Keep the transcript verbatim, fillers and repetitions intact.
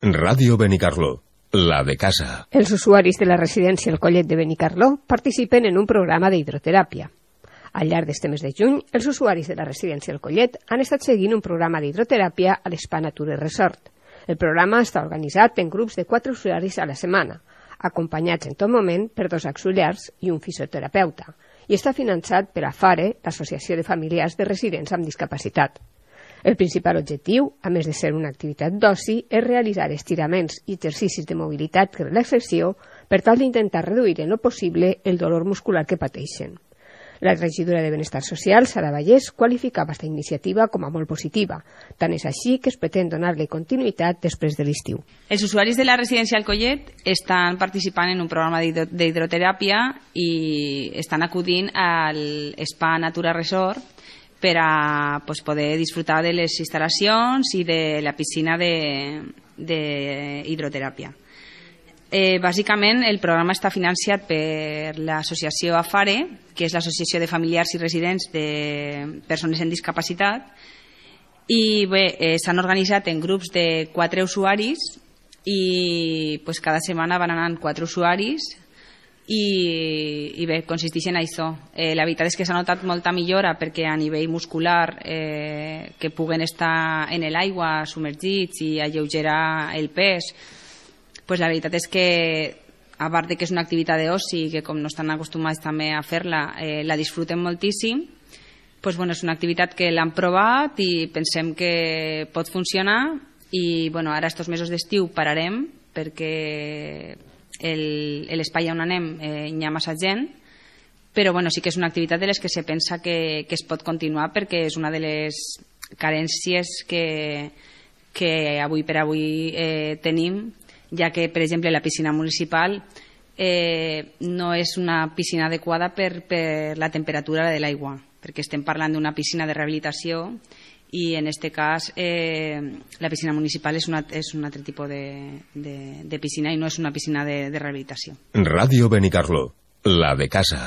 Ràdio Benicarló, la de casa. Els usuaris de la residència El Collet de Benicarló participen en un programa d'hidroteràpia. Al llarg d'este mes de juny, els usuaris de la residència El Collet han estat seguint un programa d'hidroteràpia a l'Spa Nature Resort. El programa està organitzat en grups de quatre usuaris a la setmana, acompanyats en tot moment per dos auxiliars i un fisioterapeuta, i està finançat per AFARE, l'Associació de Familiars de Residents amb Discapacitat. El principal objectiu, a més de ser una activitat d'oci, és realitzar estiraments i exercicis de mobilitat i relaxació per tal d'intentar reduir en lo possible el dolor muscular que pateixen. La regidora de Benestar Social, Sara Vallès, qualificava aquesta iniciativa com a molt positiva. Tant és així que es pretén donar-li continuïtat després de l'estiu. Els usuaris de la residència El Collet estan participant en un programa d'hidroteràpia i estan acudint al Spa Nature Resort per a pues, poder disfrutar de les instal·lacions i de la piscina d'hidroteràpia. Eh, bàsicament, el programa està financiat per l'associació AFARE, que és l'Associació de Familiars i Residents de Persones amb Discapacitat, i bé, eh, s'han organitzat en grups de quatre usuaris i pues, cada setmana van anant quatre usuaris i, i bé, consisteix en això. Eh, la veritat és que s'ha notat molta millora perquè a nivell muscular eh, que puguen estar en l'aigua submergits i alleugerar el pes, pues la veritat és que a part de que és una activitat d'oci i que com no estan acostumats també a fer-la, eh, la disfruten moltíssim, pues bueno, és una activitat que l'han provat i pensem que pot funcionar i bueno, ara estos mesos d'estiu pararem perquè l'espai on anem eh, hi ha massa gent, però bueno, sí que és una activitat de les que se pensa que, que es pot continuar perquè és una de les carències que, que avui per avui eh, tenim, ja que, per exemple, la piscina municipal eh, no és una piscina adequada per, per la temperatura de l'aigua, perquè estem parlant d'una piscina de rehabilitació i en aquest cas eh, la piscina municipal és, una, és un altre tipus de, de, de piscina i no és una piscina de, de rehabilitació. Ràdio Benicarló, la de casa.